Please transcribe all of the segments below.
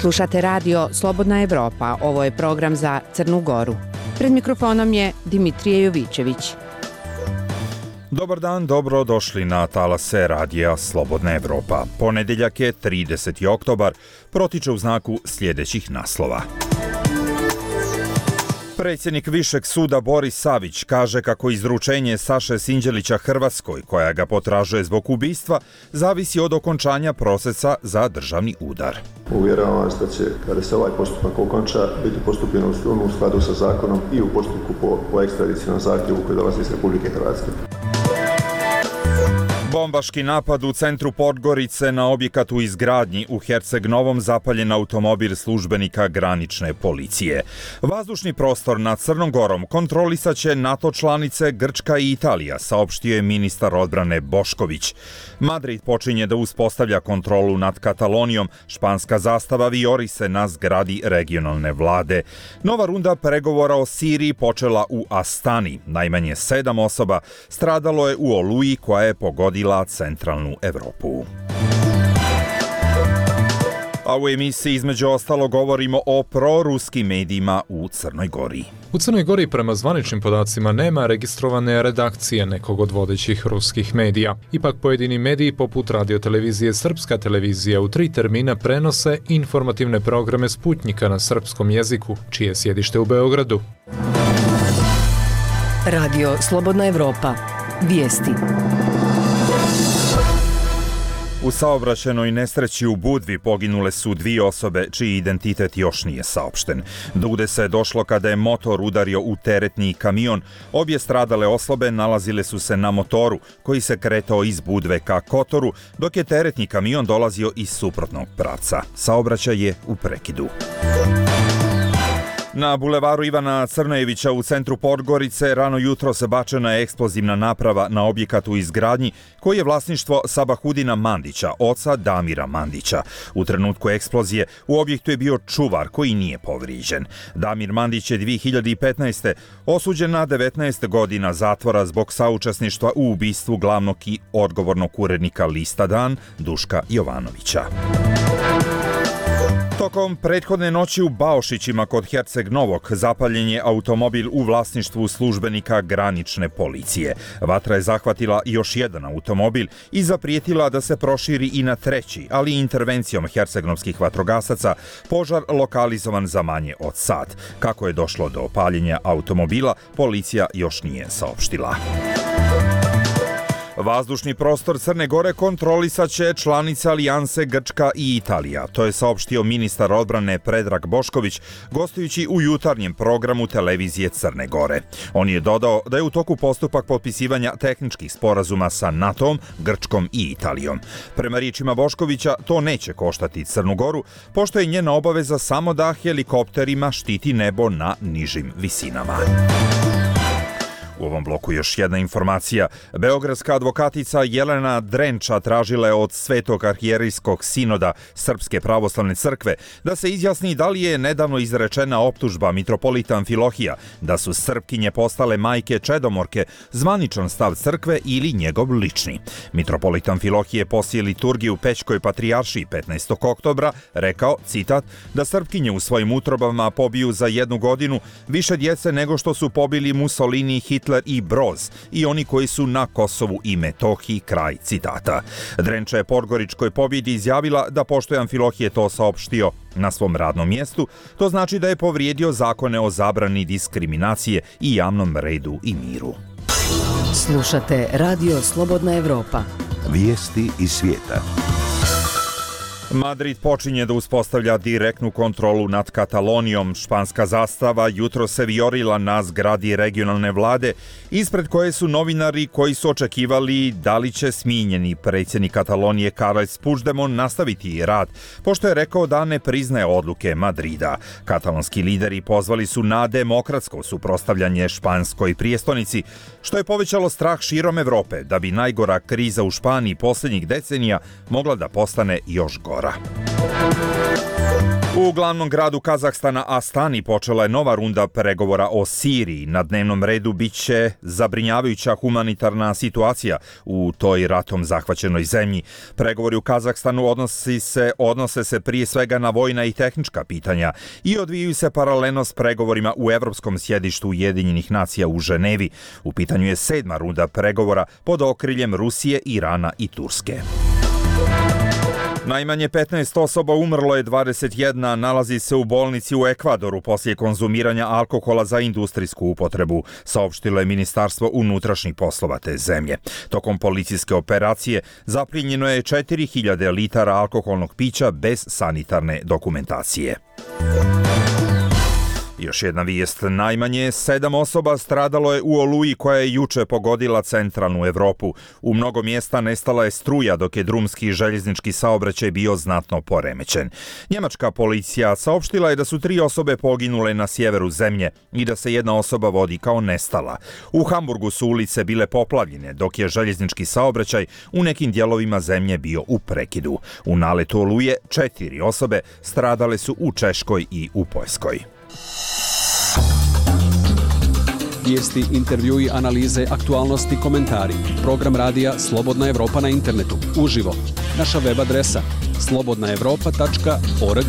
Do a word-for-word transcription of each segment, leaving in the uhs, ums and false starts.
Slušate radio Slobodna Evropa, ovo je program za Crnu Goru. Pred mikrofonom je Dimitrije Jovićević. Dobar dan, dobro došli na talase radija Slobodna Evropa. Ponedeljak je trideseti oktobar, protiče u znaku sljedećih naslova. Predsjednik Višeg suda Boris Savić kaže kako izručenje Saše Sinđelića Hrvatskoj, koja ga potražuje zbog ubistva, zavisi od okončanja procesa za državni udar. Uvjeravam vas da će, kada se ovaj postupak okonča, biti postupljeno u skladu sa zakonom i u postupku po, po ekstradicionalnom zahtjevu koji dolazi iz Republike Hrvatske. Bombaški napad u centru Podgorice na objekat u izgradnji u Herceg Novom, zapaljen automobil službenika granične policije. Vazdušni prostor nad Crnom Gorom kontrolisat će NATO članice Grčka i Italija, saopštio je ministar odbrane Bošković. Madrid počinje da uspostavlja kontrolu nad Katalonijom, španska zastava vijori se na zgradi regionalne vlade. Nova runda pregovora o Siriji počela u Astani. Najmanje sedam osoba stradalo je u oluji koja je pogodila centralnu Evropu. A u emisiji između ostalo govorimo o proruskim medijima u Crnoj Gori. U Crnoj Gori prema zvaničnim podacima nema registrovane redakcije nekog od vodećih ruskih medija. Ipak pojedini mediji poput radiotelevizije Srpska televizija u tri termina prenose informativne programe Sputnjika na srpskom jeziku, čije je sjedište u Beogradu. Radio Slobodna Evropa. Vijesti. U saobraćajnoj nesreći u Budvi poginule su dvije osobe čiji identitet još nije saopšten. Do udesa je došlo kada je motor udario u teretni kamion. Obje stradale osobe nalazile su se na motoru koji se kretao iz Budve ka Kotoru, dok je teretni kamion dolazio iz suprotnog pravca. Saobraćaj je u prekidu. Na bulevaru Ivana Crnojevića u centru Podgorice rano jutro se bačena je eksplozivna naprava na objekat u izgradnji koji je vlasništvo Sabahudina Mandića, oca Damira Mandića. U trenutku eksplozije u objektu je bio čuvar koji nije povrijeđen. Damir Mandić je dvije hiljade petnaeste. osuđen na devetnaest godina zatvora zbog saučesništva u ubistvu glavnog i odgovornog urednika lista Dan, Duška Jovanovića. Tokom prethodne noći u Baošićima kod Herceg Novog zapaljen je automobil u vlasništvu službenika granične policije. Vatra je zahvatila još jedan automobil i zaprijetila da se proširi i na treći, ali intervencijom hercegnovskih vatrogasaca požar lokalizovan za manje od sat. Kako je došlo do paljenja automobila, policija još nije saopštila. Vazdušni prostor Crne Gore kontrolisat će članice alijanse Grčka i Italija. To je saopštio ministar odbrane Predrag Bošković, gostujući u jutarnjem programu televizije Crne Gore. On je dodao da je u toku postupak potpisivanja tehničkih sporazuma sa NATO-om, Grčkom i Italijom. Prema riječima Boškovića, to neće koštati Crnu Goru, pošto je njena obaveza samo da helikopterima štiti nebo na nižim visinama. U ovom bloku još jedna informacija. Beogradska advokatica Jelena Drenča tražila je od Svetog arhijerijskog sinoda Srpske pravoslavne crkve da se izjasni da li je nedavno izrečena optužba mitropolita Amfilohija da su Srpkinje postale majke čedomorke zvaničan stav crkve ili njegov lični. Mitropolit Amfilohije poslije liturgiju u Pećkoj patrijaršiji petnaestog oktobra rekao, citat, da Srpkinje u svojim utrobama pobiju za jednu godinu više djece nego što su pobili Mussolini i Hitler i Broz i oni koji su na Kosovu i Metohiji, kraj citata. Drenča je Podgoričkoj pobjedi izjavila da pošto je Amfilohije to saopštio na svom radnom mjestu, to znači da je povrijedio zakone o zabrani diskriminacije i javnom redu i miru. Slušate Radio Slobodna Evropa. Vijesti iz svijeta. Madrid počinje da uspostavlja direktnu kontrolu nad Katalonijom. Španska zastava jutro se vijorila na zgradi regionalne vlade, ispred koje su novinari koji su očekivali da li će smijenjeni predsjednik Katalonije Carles Puigdemont nastaviti rad, pošto je rekao da ne priznaje odluke Madrida. Katalonski lideri pozvali su na demokratsko suprotstavljanje španskoj prijestolnici, što je povećalo strah širom Evrope da bi najgora kriza u Španiji posljednjih decenija mogla da postane još gora. U glavnom gradu Kazahstana Astani počela je nova runda pregovora o Siriji. Na dnevnom redu biće zabrinjavajuća humanitarna situacija u toj ratom zahvaćenoj zemlji. Pregovori u Kazahstanu odnosi se, odnose se prije svega na vojna i tehnička pitanja i odvijaju se paralelno s pregovorima u Evropskom sjedištu Ujedinjenih nacija u Ženevi. U pitanju je sedma runda pregovora pod okriljem Rusije, Irana i Turske. Najmanje petnaest osoba umrlo je, dvadeset jedna nalazi se u bolnici u Ekvadoru poslije konzumiranja alkohola za industrijsku upotrebu, saopštilo je Ministarstvo unutrašnjih poslova te zemlje. Tokom policijske operacije zaplijenjeno je četiri hiljade litara alkoholnog pića bez sanitarne dokumentacije. Još jedna vijest, najmanje sedam osoba stradalo je u oluji koja je juče pogodila centralnu Evropu. U mnogo mjesta nestala je struja dok je drumski i željeznički saobraćaj bio znatno poremećen. Njemačka policija saopštila je da su tri osobe poginule na sjeveru zemlje i da se jedna osoba vodi kao nestala. U Hamburgu su ulice bile poplavljene dok je željeznički saobraćaj u nekim dijelovima zemlje bio u prekidu. U naletu oluje četiri osobe stradale su u Češkoj i u Poljskoj. Vijesti, intervjui, analize, aktualnosti, komentari. Program radija Slobodna Evropa na internetu. Uživo. Naša web adresa slobodna evropa tačka org.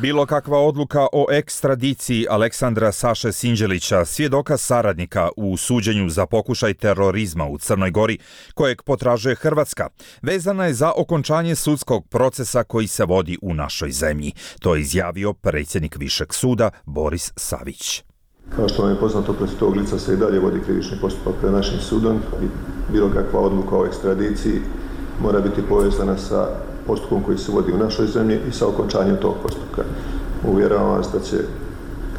Bilo kakva odluka o ekstradiciji Aleksandra Saše Sinđelića, svjedoka saradnika u suđenju za pokušaj terorizma u Crnoj Gori, kojeg potražuje Hrvatska, vezana je za okončanje sudskog procesa koji se vodi u našoj zemlji. To je izjavio predsjednik Višeg suda Boris Savić. Kao što vam je poznato, protiv tog lica se i dalje vodi krivični postupak pred našim sudom i bilo kakva odluka o ekstradiciji mora biti povezana sa postupkom koji se vodi u našoj zemlji i sa okončanjem tog postupka. Uvjeravam vas da će,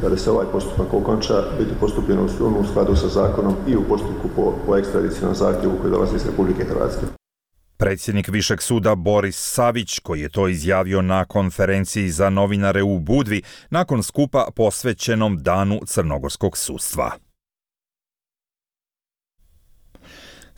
kada se ovaj postupak okonča, biti postupljeno u skladu sa zakonom i u postupku po, po ekstradicijnom zahtjevu koji dolazi iz Republike Hrvatske. Predsjednik Višeg suda Boris Savić, koji je to izjavio na konferenciji za novinare u Budvi nakon skupa posvećenom Danu crnogorskog sudstva.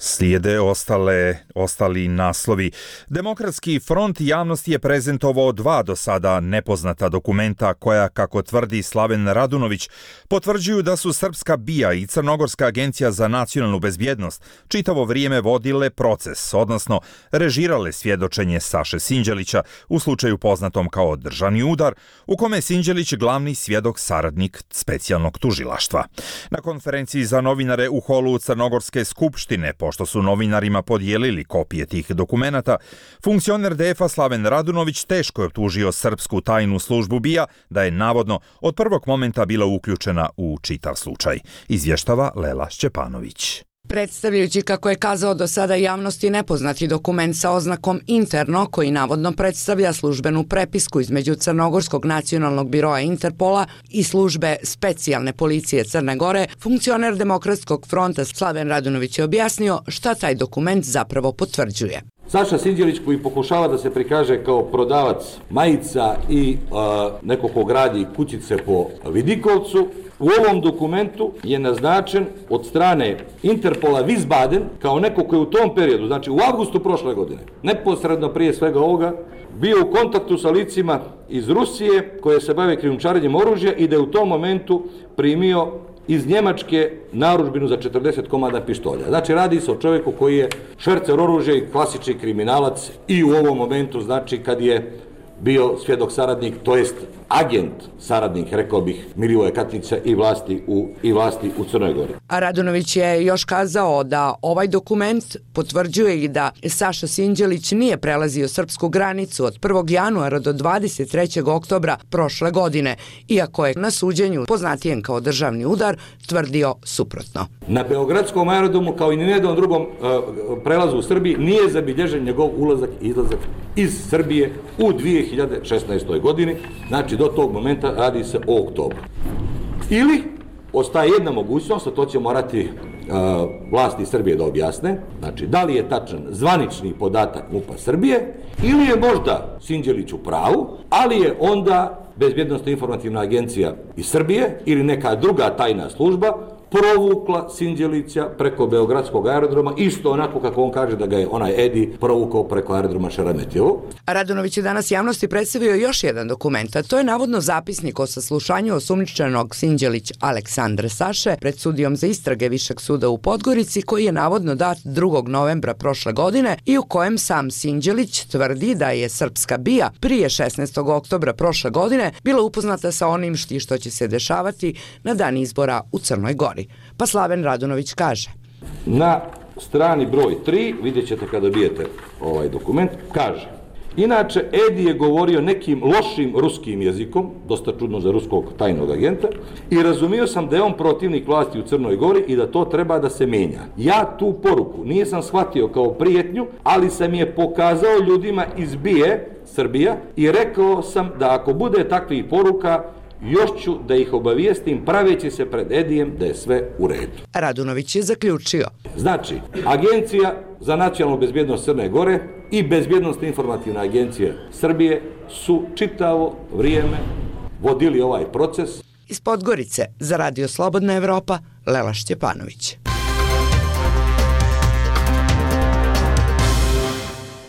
Slijede ostale, ostali naslovi. Demokratski front javnosti je prezentovao dva do sada nepoznata dokumenta koja, kako tvrdi Slaven Radunović, potvrđuju da su Srpska B I A i Crnogorska agencija za nacionalnu bezbjednost čitavo vrijeme vodile proces, odnosno režirale svjedočenje Saše Sinđelića u slučaju poznatom kao državni udar, u kome je Sinđelić glavni svjedok saradnik specijalnog tužilaštva. Na konferenciji za novinare u holu Crnogorske skupštine, što su novinarima podijelili kopije tih dokumenata, funkcioner D F-a Slaven Radunović teško je optužio srpsku tajnu službu B I A da je navodno od prvog momenta bila uključena u čitav slučaj. Izvještava Lela Šćepanović. Predstavljajući, kako je kazao do sada javnosti, nepoznati dokument sa oznakom interno, koji navodno predstavlja službenu prepisku između Crnogorskog nacionalnog biroa Interpola i službe specijalne policije Crne Gore, funkcioner Demokratskog fronta Slaven Radunović je objasnio šta taj dokument zapravo potvrđuje. Saša Sinđelić, koji pokušava da se prikaže kao prodavac majica i uh, neko ko gradi kućice po Vidikovcu, u ovom dokumentu je naznačen od strane Interpola Wiesbaden kao neko koji u tom periodu, znači u avgustu prošle godine, neposredno prije svega ovoga, bio u kontaktu sa licima iz Rusije koje se bave krijumčarenjem oružja i da je u tom momentu primio iz Njemačke narudžbinu za četrdeset komada pištolja. Znači radi se o čovjeku koji je švercer oružja i klasični kriminalac i u ovom momentu, znači kad je bio svjedok saradnik, to jest agent saradnik, rekao bih, Milivoja Katnića i vlasti u, i vlasti u Crnoj Gori. A Radunović je još kazao da ovaj dokument potvrđuje i da Saša Sinđelić nije prelazio srpsku granicu od prvog januara do dvadeset trećeg oktobra prošle godine, iako je na suđenju, poznatijem kao državni udar, tvrdio suprotno. Na Beogradskom aerodromu, kao i ni jednom drugom uh, prelazu u Srbiji, nije zabilježen njegov ulazak i izlazak iz Srbije u dvije hiljade šesnaestoj godini, znači do tog momenta radi se o oktobru. Ili ostaje jedna mogućnost, a to će morati uh, vlasti Srbije da objasne, znači da li je tačan zvanični podatak M U P-a Srbije ili je možda Sinđelić u pravu, ali je onda Bezbjednosno-informativna agencija iz Srbije ili neka druga tajna služba provukla Sinđelića preko Beogradskog aerodroma, isto onako kako on kaže da ga je onaj Edi provukao preko aerodroma Šeremetjevo. Radunović je danas javnosti predstavio još jedan dokument, a to je navodno zapisnik o saslušanju osumnjičenog Sinđelić Aleksandre Saše pred sudijom za istrage Višeg suda u Podgorici, koji je navodno dat drugog novembra prošle godine i u kojem sam Sinđelić tvrdi da je srpska B I A prije šesnaestog oktobra prošle godine bila upoznata sa onim što će se dešavati na dan izbora u Crnoj Gori. Pa Slaven Radunović kaže: Na strani broj tri, vidjet ćete kada dobijete ovaj dokument, kaže: inače, Edi je govorio nekim lošim ruskim jezikom, dosta čudno za ruskog tajnog agenta, i razumio sam da je on protivnik vlasti u Crnoj Gori i da to treba da se menja. Ja tu poruku nisam shvatio kao prijetnju, ali sam je pokazao ljudima iz B I A, Srbija, i rekao sam da ako bude takvih poruka, još ću da ih obavijestim praveći se pred Edijem da je sve u redu. Radunović je zaključio: znači, Agencija za nacionalnu bezbjednost Crne Gore i Bezbjednostna informativna agencija Srbije su čitavo vrijeme vodili ovaj proces. Iz Podgorice za Radio Slobodna Evropa, Lela Šćepanović.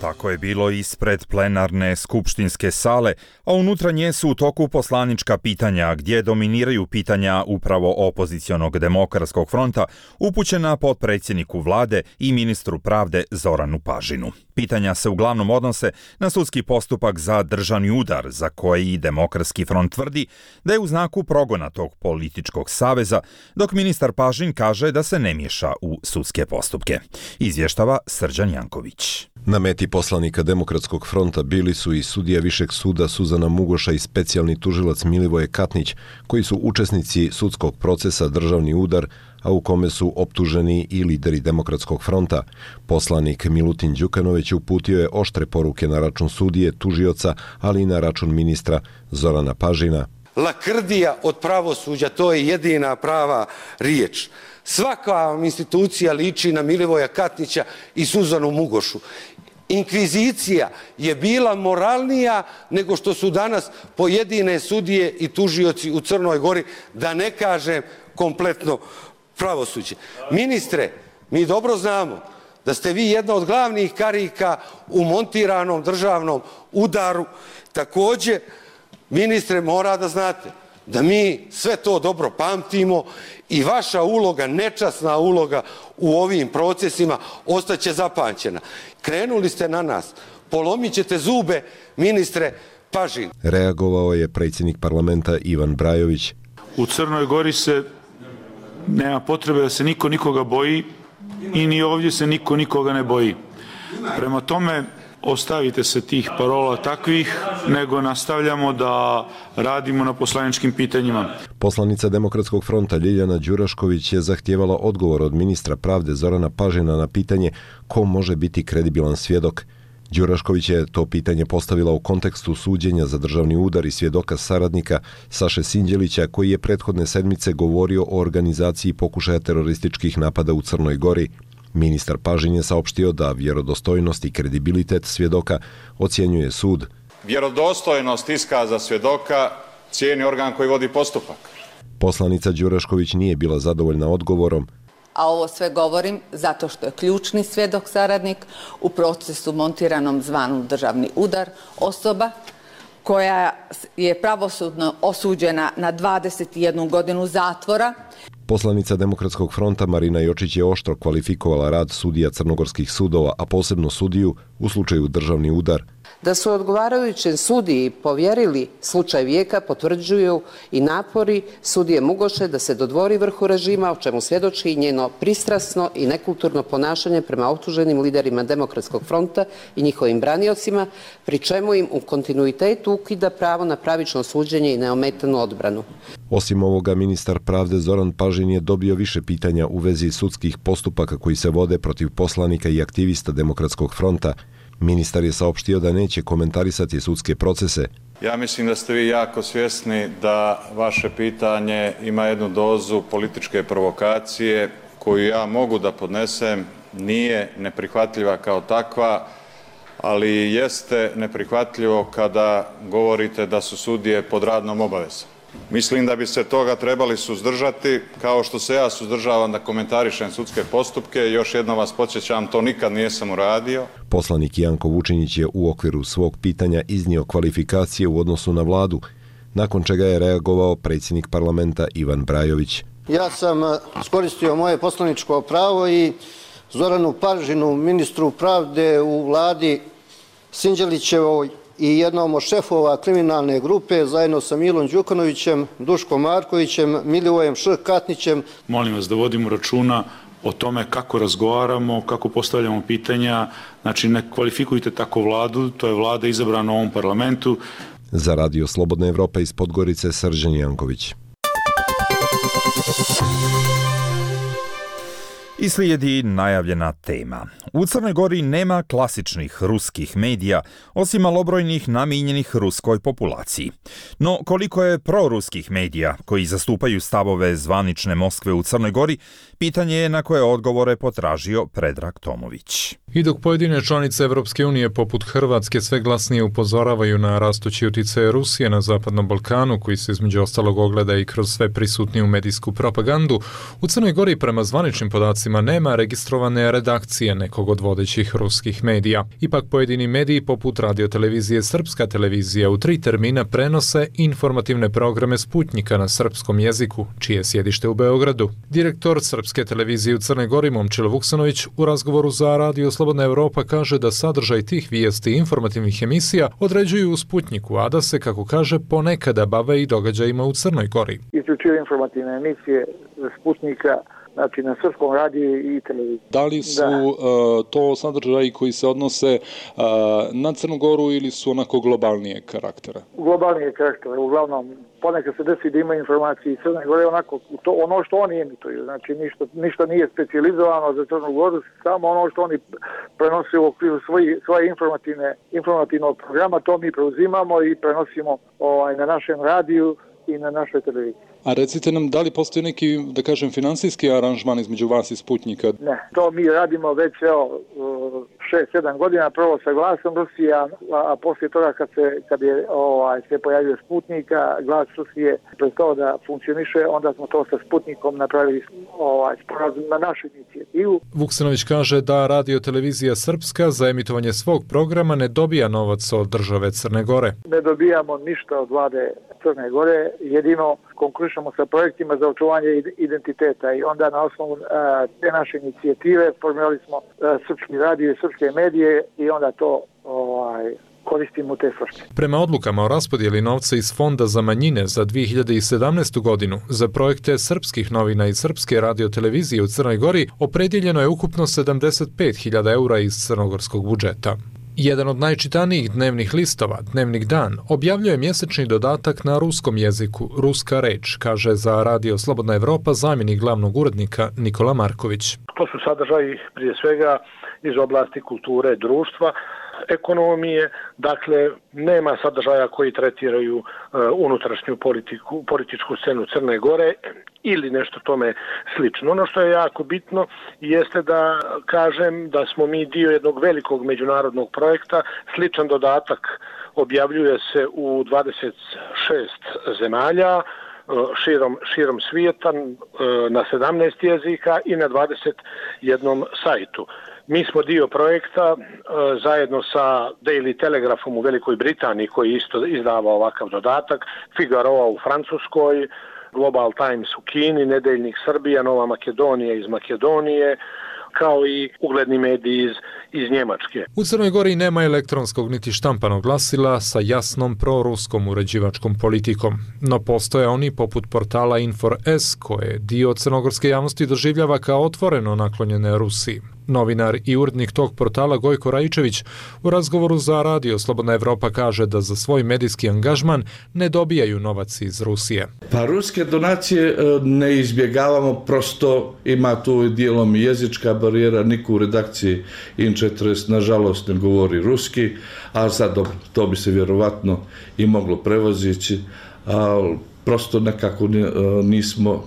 Tako je bilo ispred plenarne skupštinske sale, a unutra nje su u toku poslanička pitanja, gdje dominiraju pitanja upravo opozicionog Demokratskog fronta, upućena potpredsjedniku vlade i ministru pravde Zoranu Pažinu. Pitanja se uglavnom odnose na sudski postupak za državni udar, za koji Demokratski front tvrdi da je u znaku progona tog političkog saveza, dok ministar Pažin kaže da se ne miješa u sudske postupke. Izvještava Srđan Janković. Na meti poslanika Demokratskog fronta bili su i sudija Višeg suda Suzana Mugoša i specijalni tužilac Milivoje Katnić, koji su učesnici sudskog procesa Državni udar, a u kome su optuženi i lideri Demokratskog fronta. Poslanik Milutin Đukanović uputio je oštre poruke na račun sudije, tužioca, ali i na račun ministra Zorana Pažina. Lakrdija od pravosuđa, to je jedina prava riječ. Svaka institucija liči na Milivoja Katnića i Suzanu Mugošu. Inkvizicija je bila moralnija nego što su danas pojedine sudije i tužioci u Crnoj Gori, da ne kažem kompletno pravosuđe. Ministre, mi dobro znamo da ste vi jedna od glavnih karika u montiranom državnom udaru. Također, ministre, mora da znate da mi sve to dobro pamtimo i vaša uloga, nečasna uloga u ovim procesima ostaće zapamćena. Krenuli ste na nas, polomit ćete zube, ministre Pažin. Reagovao je predsjednik parlamenta Ivan Brajović. U Crnoj Gori se nema potrebe da se niko nikoga boji i ni ovdje se niko nikoga ne boji. Prema tome, ostavite se tih parola takvih, nego nastavljamo da radimo na poslaničkim pitanjima. Poslanica Demokratskog fronta Ljiljana Đurašković je zahtijevala odgovor od ministra pravde Zorana Pažina na pitanje ko može biti kredibilan svjedok. Đurašković je to pitanje postavila u kontekstu suđenja za državni udar i svjedoka saradnika Saše Sinđelića, koji je prethodne sedmice govorio o organizaciji pokušaja terorističkih napada u Crnoj Gori. Ministar Pažin je saopštio da vjerodostojnost i kredibilitet svjedoka ocjenjuje sud. Vjerodostojnost iskaza svjedoka cijeni organ koji vodi postupak. Poslanica Đurašković nije bila zadovoljna odgovorom. A ovo sve govorim zato što je ključni svjedok saradnik u procesu montiranom zvanom državni udar, osoba koja je pravosudno osuđena na dvadeset jednu godinu zatvora. Poslanica Demokratskog fronta Marina Jočić je oštro kvalifikovala rad sudija crnogorskih sudova, a posebno sudiju u slučaju državni udar. Da su odgovarajućem sudiji povjerili slučaj vijeka potvrđuju i napori sudije Mugoše da se dodvori vrhu režima, o čemu svjedoči i njeno pristrasno i nekulturno ponašanje prema optuženim liderima Demokratskog fronta i njihovim braniocima, pri čemu im u kontinuitetu ukida pravo na pravično suđenje i neometanu odbranu. Osim ovoga, ministar pravde Zoran Pažin je dobio više pitanja u vezi sudskih postupaka koji se vode protiv poslanika i aktivista Demokratskog fronta. Ministar je saopštio da neće komentarisati sudske procese. Ja mislim da ste vi jako svjesni da vaše pitanje ima jednu dozu političke provokacije koju ja mogu da podnesem, nije neprihvatljiva kao takva, ali jeste neprihvatljivo kada govorite da su sudije pod radnom obavezom. Mislim da bi se toga trebali suzdržati, kao što se ja suzdržavam da komentarišem sudske postupke. Još jednom vas podsjećam, to nikad nisam uradio. Poslanik Janko Vučinić je u okviru svog pitanja iznio kvalifikacije u odnosu na vladu, nakon čega je reagovao predsjednik parlamenta Ivan Brajović. Ja sam iskoristio moje poslaničko pravo i Zoranu Paržinu, ministru pravde u vladi Sinđelićevoj i jednom od šefova kriminalne grupe zajedno sa Milom Đukanovićem, Duškom Markovićem, Milivojem Š. Katnićem. Molim vas da vodimo računa o tome kako razgovaramo, kako postavljamo pitanja. Znači, ne kvalifikujte tako vladu, to je vlada izabrana u ovom parlamentu. Za Radio Slobodna Evropa iz Podgorice, Srđan Janković. I slijedi najavljena tema. U Crnoj Gori nema klasičnih ruskih medija, osim malobrojnih namijenjenih ruskoj populaciji. No, koliko je proruskih medija koji zastupaju stavove zvanične Moskve u Crnoj Gori, pitanje je na koje odgovore potražio Predrag Tomović. I dok pojedine članice Evropske unije poput Hrvatske sve glasnije upozoravaju na rastući utjecaj Rusije na Zapadnom Balkanu, koji se između ostalog ogleda i kroz sve prisutniju medijsku propagandu, u Crnoj Gori prema zvaničnim podacima nema registrovane redakcije nekog od vodećih ruskih medija. Ipak pojedini mediji poput radiotelevizije Srpska televizija u tri termina prenose informativne programe Sputnjika na srpskom jeziku, čije je sjedište u Beogradu. Direktor Srpske televizije u Crnoj Gori Momčilo Vuksanović u razgovoru za Radio Slobodna Evropa kaže da sadržaj tih vijesti i informativnih emisija određuju u Sputnjiku, a da se, kako kaže, ponekada bave i događajima u Crnoj Gori. Isključivo informativne emisije Sputnjika, znači na srpskom radiju i televiziji. Da li su uh, to sadržaji koji se odnose uh, na Crnu Goru ili su onako globalnijeg karaktera? Globalnijeg karaktera, uglavnom ponekad se desi da ima informacije iz Crne Gore, onako to, ono što oni emituju, znači ništa, ništa nije specijalizovano za Crnu Goru, samo ono što oni prenose u okviru svoji, svoje informativne, informativnog programa, to mi preuzimamo i prenosimo ovaj, na našem radiju i na našoj televiziji. A recite nam, da li postoji neki, da kažem, finansijski aranžman između vas i Sputnjika? Ne, to mi radimo već evo šest sedam godina, prvo sa glasom Rusije, a, a poslije toga kad se, kad je, ovaj, se pojavio Sputnika, glas Rusije prestao da funkcioniše, onda smo to sa Sputnikom napravili ovaj, sporazum na našu inicijativu. Vuksanović kaže da radiotelevizija Srpska za emitovanje svog programa ne dobija novac od države Crne Gore. Ne dobijamo ništa od vlade Crne Gore, jedino konkurišemo sa projektima za očuvanje identiteta i onda na osnovu uh, te naše inicijative formirali smo uh, srpski radio i srpske medije i onda to ovaj, koristimo u te svrhe. Prema odlukama o raspodjeli novca iz Fonda za manjine za dvije hiljade sedamnaestu. godinu za projekte srpskih novina i srpske radiotelevizije u Crnoj Gori opredjeljeno je ukupno sedamdeset pet hiljada eura iz crnogorskog budžeta. Jedan od najčitanijih dnevnih listova, Dnevnik Dan, objavljuje mjesečni dodatak na ruskom jeziku, Ruska reč, kaže za Radio Slobodna Evropa zamjenik glavnog urednika Nikola Marković. To su sadržaji prije svega iz oblasti kulture, društva, ekonomije, dakle nema sadržaja koji tretiraju uh, unutrašnju politiku, političku scenu Crne Gore ili nešto tome slično. Ono što je jako bitno jeste da kažem da smo mi dio jednog velikog međunarodnog projekta. Sličan dodatak objavljuje se u dvadeset šest zemalja širom, širom svijeta na sedamnaest jezika i na dvadeset jednom sajtu. Mi smo dio projekta zajedno sa Daily Telegraphom u Velikoj Britaniji koji isto izdava ovakav dodatak, Figaro u Francuskoj, Global Times u Kini, Nedeljnik Srbija, Nova Makedonija iz Makedonije, kao i ugledni mediji iz, iz Njemačke. U Crnoj Gori nema elektronskog niti štampanog glasila sa jasnom proruskom uređivačkom politikom, no postoje oni poput portala Infor S koje dio crnogorske javnosti doživljava kao otvoreno naklonjene Rusiji. Novinar i urednik tog portala Gojko Raičević u razgovoru za Radio Slobodna Evropa kaže da za svoj medijski angažman ne dobijaju novac iz Rusije. Pa ruske donacije ne izbjegavamo, prosto ima tu dijelom jezička barijera, niko u redakciji In četrdeset nažalost ne govori ruski, a sad dobro, to bi se vjerovatno i moglo prevozići, ali prosto nekako nismo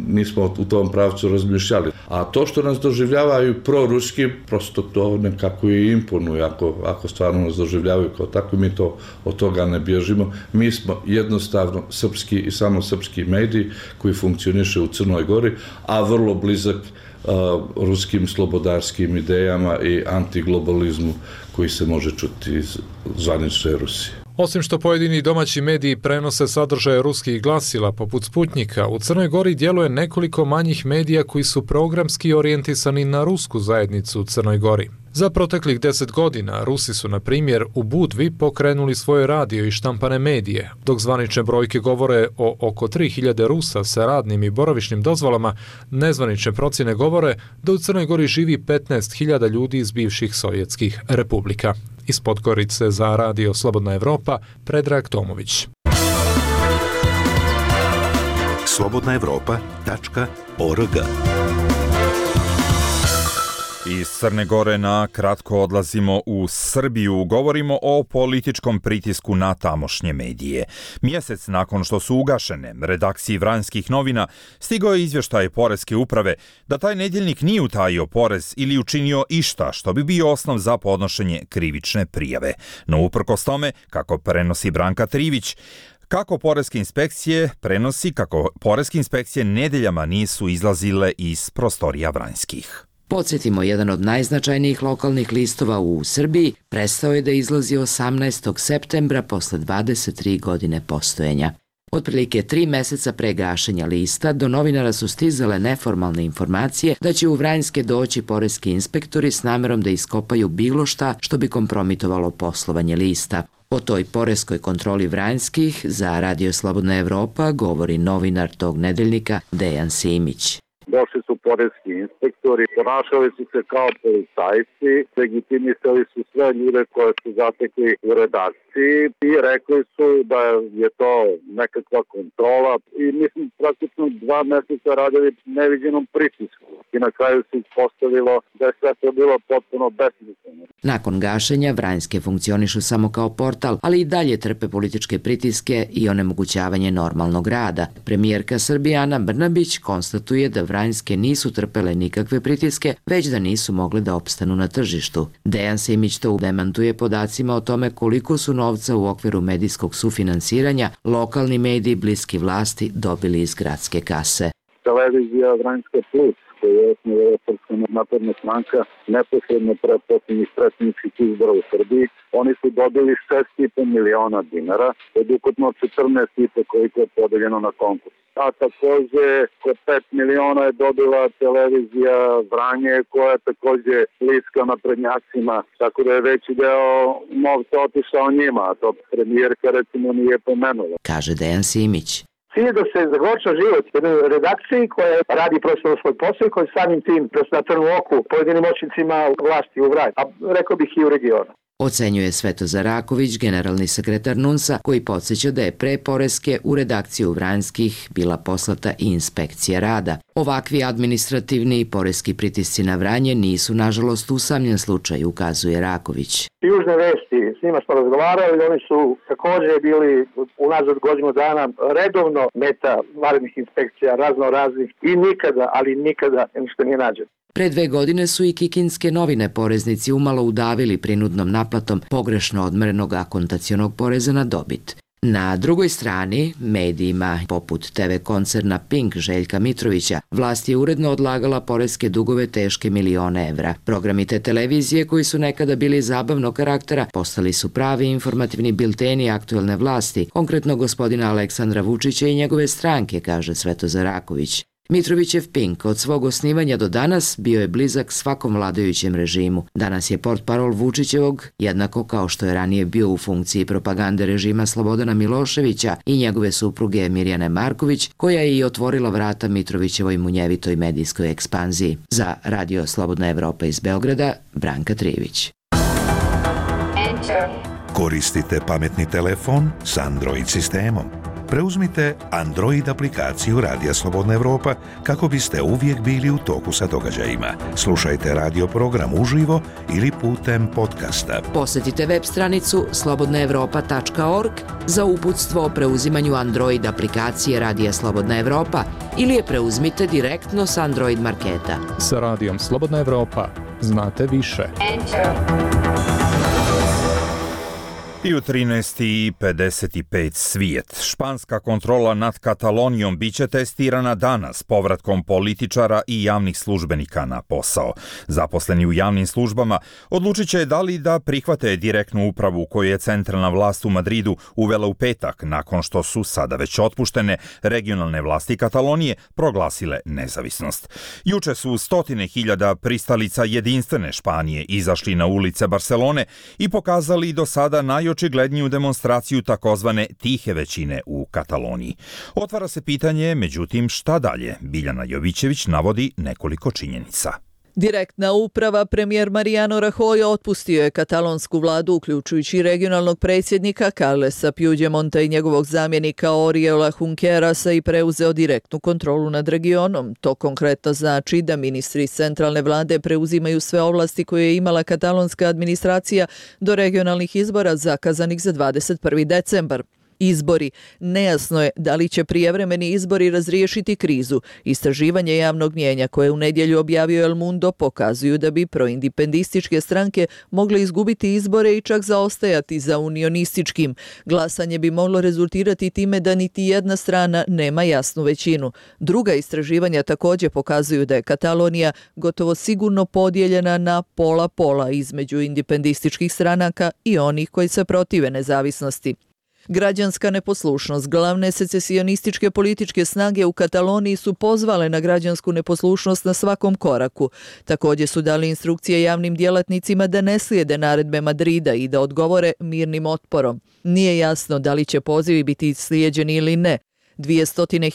nismo u tom pravcu razmišljali. A to što nas doživljavaju proruski, prosto to nekako i imponuje. Ako, ako stvarno nas doživljavaju kao tako, mi to od toga ne bježimo. Mi smo jednostavno srpski i samo srpski mediji koji funkcioniše u Crnoj Gori, a vrlo blizak uh, ruskim slobodarskim idejama i antiglobalizmu koji se može čuti iz zvanične Rusije. Osim što pojedini domaći mediji prenose sadržaje ruskih glasila poput Sputnika, u Crnoj Gori djeluje nekoliko manjih medija koji su programski orijentisani na rusku zajednicu u Crnoj Gori. Za proteklih deset godina Rusi su, na primjer, u Budvi pokrenuli svoje radio i štampane medije, dok zvanične brojke govore o oko tri hiljade Rusa sa radnim i boravišnim dozvolama, nezvanične procjene govore da u Crnoj Gori živi petnaest hiljada ljudi iz bivših sovjetskih republika. Iz Podgorice za Radio Slobodna Evropa, Predrag Tomović. slobodna evropa tačka org. Iz Crne Gore na kratko odlazimo u Srbiju. Govorimo o političkom pritisku na tamošnje medije. Mjesec nakon što su ugašene redakciji Vranjskih novina, stigao je izvještaj Poreske uprave da taj nedjeljnik nije utajio porez ili učinio išta što bi bio osnov za podnošenje krivične prijave. No uprkos tome, kako prenosi Branka Trivić, Kako poreske inspekcije prenosi kako poreske inspekcije nedeljama nisu izlazile iz prostorija Vranjskih. Podsjetimo, jedan od najznačajnijih lokalnih listova u Srbiji prestao je da izlazi osamnaestog septembra posle dvadeset tri godine postojenja. Otprilike tri meseca pre gašenja lista do novinara su stizale neformalne informacije da će u Vranjske doći poreski inspektori s namerom da iskopaju bilo šta što bi kompromitovalo poslovanje lista. O toj poreskoj kontroli Vranjskih za Radio Slobodna Evropa govori novinar tog nedeljnika Dejan Simić. Došli su poreski inspektori, ponašali su se kao policajci, legitimisali su sve ljude koje su zatekli u redakciji i rekli su da je to nekakva kontrola i mislim praktično dva mjeseca radili neviđenom pritisku i na kraju se ispostavilo da je sve to bilo potpuno besmisleno. Nakon gašenja Vranjske funkcionišu samo kao portal, ali i dalje trpe političke pritiske i onemogućavanje normalnog rada. Premijerka Srbije Ana Brnabić konstatuje da Vranjske nisu trpele nikakve pritiske, već da nisu mogle da opstanu na tržištu. Dejan Simić to demantuje podacima o tome koliko su novca u okviru medijskog sufinansiranja lokalni mediji bliski vlasti dobili iz gradske kase. Televizija Vranjska Plus, koju je osnovala Srpska napredna stranka neposredno pre posljednjih predsjedničkih izbora u Srbiji, oni su dobili šest i po miliona dinara od ukupno četrnaest i po koliko je podeljeno na konkurs. A takođe oko pet miliona je dobila televizija Vranje koja je takođe bliska naprednjacima, tako da je veći deo novca otišao njima, a to premijerka recimo nije pomenula. Kaže Dejan Simić. Cilj je da se zagorča život jednoj redakciji koja radi profesionalno svoj posao i koja samim tim na trnu oku pojedinim moćnicima vlasti u Vranju, a rekao bih i u regionu. Ocenjuje Svetozar Raković, generalni sekretar NUNS-a, koji podsjeća da je pre poreske u redakciju Vranjskih bila poslata i inspekcija rada. Ovakvi administrativni i poreski pritisci na Vranje nisu, nažalost, usamljen slučaj, ukazuje Raković. Južne vesti, s njima smo razgovarali, oni su također bili unazad godinu dana redovno meta vanrednih inspekcija, razno raznih i nikada, ali nikada ništa nije nađeno. Pre dve godine su i kikinske novine poreznici umalo udavili prinudnom naplatom pogrešno odmerenog akontacionog poreza na dobit. Na drugoj strani, medijima poput te ve koncerna Pink Željka Mitrovića, vlast je uredno odlagala poreske dugove teške milione evra. Programi te televizije, koji su nekada bili zabavnog karaktera, postali su pravi informativni bilteni aktuelne vlasti, konkretno gospodina Aleksandra Vučića i njegove stranke, kaže Svetozar Raković. Mitrovićev Pink od svog osnivanja do danas bio je blizak svakom vladajućem režimu. Danas je portparol Vučićevog, jednako kao što je ranije bio u funkciji propagande režima Slobodana Miloševića i njegove supruge Mirjane Marković, koja je i otvorila vrata Mitrovićevoj munjevitoj medijskoj ekspanziji. Za Radio Slobodna Evropa iz Beograda, Branka Trivić. Koristite pametni telefon s Android sistemom. Preuzmite Android aplikaciju Radija Slobodna Evropa kako biste uvijek bili u toku sa događajima. Slušajte radio program uživo ili putem podcasta. Posjetite web stranicu slobodna evropa tačka org za uputstvo o preuzimanju Android aplikacije Radija Slobodna Evropa ili je preuzmite direktno s Android marketa. Sa Radijom Slobodna Evropa znate više. I u trinaest i pedeset pet svijet. Španska kontrola nad Katalonijom biće testirana danas povratkom političara i javnih službenika na posao. Zaposleni u javnim službama odlučit će da li da prihvate direktnu upravu koju je centralna vlast u Madridu uvela u petak nakon što su sada već otpuštene regionalne vlasti Katalonije proglasile nezavisnost. Juče su stotine hiljada pristalica jedinstvene Španije izašli na ulice Barcelone i pokazali do sada naj očigledniju demonstraciju takozvane tihe većine u Kataloniji. Otvara se pitanje, međutim, šta dalje? Biljana Jovićević navodi nekoliko činjenica. Direktna uprava, premijer Mariano Rajoy otpustio je katalonsku vladu, uključujući regionalnog predsjednika Carlesa Puigdemonta i njegovog zamjenika Oriola Junquerasa i preuzeo direktnu kontrolu nad regionom. To konkretno znači da ministri iz centralne vlade preuzimaju sve ovlasti koje je imala katalonska administracija do regionalnih izbora zakazanih za dvadeset prvi decembar. Izbori. Nejasno je da li će prijevremeni izbori razriješiti krizu. Istraživanje javnog mnijenja koje u nedjelju objavio El Mundo pokazuju da bi proindipendističke stranke mogle izgubiti izbore i čak zaostajati za unionističkim. Glasanje bi moglo rezultirati time da niti jedna strana nema jasnu većinu. Druga istraživanja također pokazuju da je Katalonija gotovo sigurno podijeljena na pola-pola između indipendističkih stranaka i onih koji se protive nezavisnosti. Građanska neposlušnost. Glavne secesionističke političke snage u Kataloniji su pozvale na građansku neposlušnost na svakom koraku. Također su dali instrukcije javnim djelatnicima da ne slijede naredbe Madrida i da odgovore mirnim otporom. Nije jasno da li će pozivi biti slijeđeni ili ne. Dvije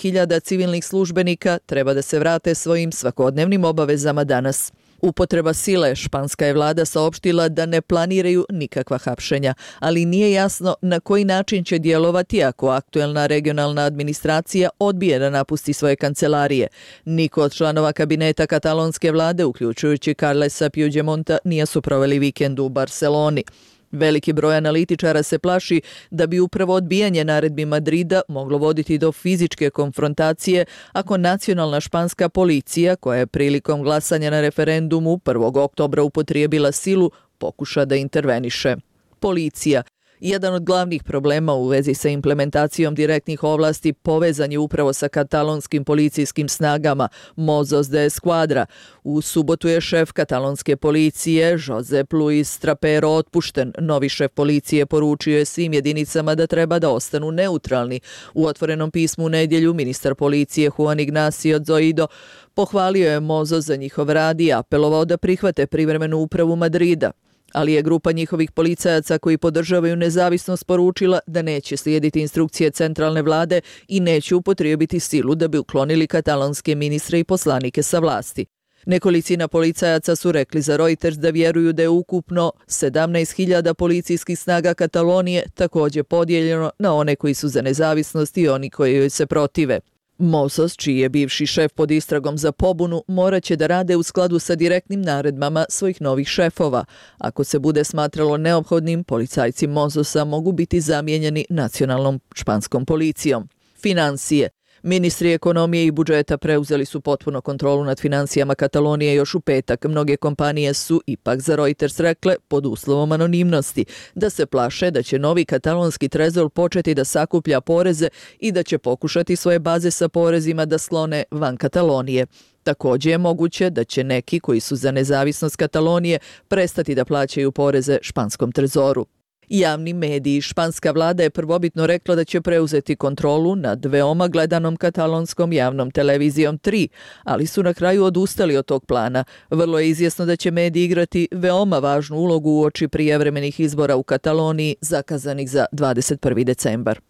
hiljade civilnih službenika treba da se vrate svojim svakodnevnim obavezama danas. Upotreba sile. Španska je vlada saopštila da ne planiraju nikakva hapšenja, ali nije jasno na koji način će djelovati ako aktuelna regionalna administracija odbije da napusti svoje kancelarije. Niko od članova kabineta katalonske vlade, uključujući Carlesa Puigdemonta, nije su proveli vikend u Barceloni. Veliki broj analitičara se plaši da bi upravo odbijanje naredbi Madrida moglo voditi do fizičke konfrontacije ako nacionalna španska policija, koja je prilikom glasanja na referendumu prvog oktobra upotrijebila silu, pokuša da interveniše. Policija. Jedan od glavnih problema u vezi sa implementacijom direktnih ovlasti povezan je upravo sa katalonskim policijskim snagama Mossos de Esquadra. U subotu je šef katalonske policije Josep Luis Trapero otpušten. Novi šef policije poručio je svim jedinicama da treba da ostanu neutralni. U otvorenom pismu u nedjelju ministar policije Juan Ignacio Zoido pohvalio je Mossos za njihov rad i apelovao da prihvate privremenu upravu Madrida. Ali je grupa njihovih policajaca koji podržavaju nezavisnost poručila da neće slijediti instrukcije centralne vlade i neće upotrijebiti silu da bi uklonili katalonske ministre i poslanike sa vlasti. Nekolicina policajaca su rekli za Reuters da vjeruju da je ukupno sedamnaest hiljada policijskih snaga Katalonije također podijeljeno na one koji su za nezavisnost i oni koji joj se protive. Mossos, čiji je bivši šef pod istragom za pobunu, morat će da rade u skladu sa direktnim naredbama svojih novih šefova. Ako se bude smatralo neophodnim, policajci Mossosa mogu biti zamijenjeni nacionalnom španskom policijom. Financije. Ministri ekonomije i budžeta preuzeli su potpuno kontrolu nad financijama Katalonije još u petak. Mnoge kompanije su ipak za Reuters rekle, pod uslovom anonimnosti, da se plaše da će novi katalonski trezor početi da sakuplja poreze i da će pokušati svoje baze sa porezima da sklone van Katalonije. Također je moguće da će neki koji su za nezavisnost Katalonije prestati da plaćaju poreze španskom trezoru. Javni mediji. Španska vlada je prvobitno rekla da će preuzeti kontrolu nad veoma gledanom katalonskom javnom televizijom tri, ali su na kraju odustali od tog plana. Vrlo je izvjesno da će mediji igrati veoma važnu ulogu uoči prijevremenih izbora u Kataloniji zakazanih za dvadeset prvi decembar.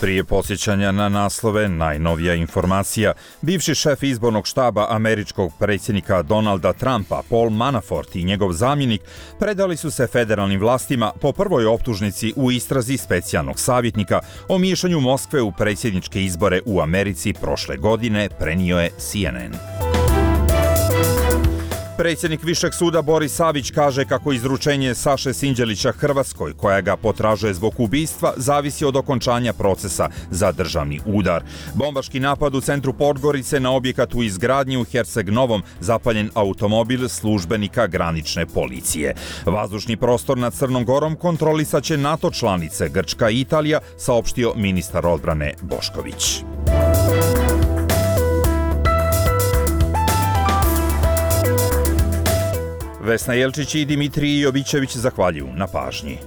Prije podsjećanja na naslove, najnovija informacija. Bivši šef izbornog štaba američkog predsjednika Donalda Trumpa, Paul Manafort i njegov zamjenik predali su se federalnim vlastima po prvoj optužnici u istrazi specijalnog savjetnika o miješanju Moskve u predsjedničke izbore u Americi prošle godine, prenio je C N N. Predsjednik Višeg suda Boris Savić kaže kako izručenje Saše Sinđelića Hrvatskoj, koja ga potražuje zbog ubistva, zavisi od okončanja procesa za državni udar. Bombaški napad u centru Podgorice na objekat u izgradnji u Herceg Novom, zapaljen automobil službenika granične policije. Vazdušni prostor nad Crnom Gorom kontrolisaće NATO članice Grčka i Italija, saopštio ministar odbrane Bošković. Vesna Jelčić i Dimitrij Jovićević zahvaljuju na pažnji.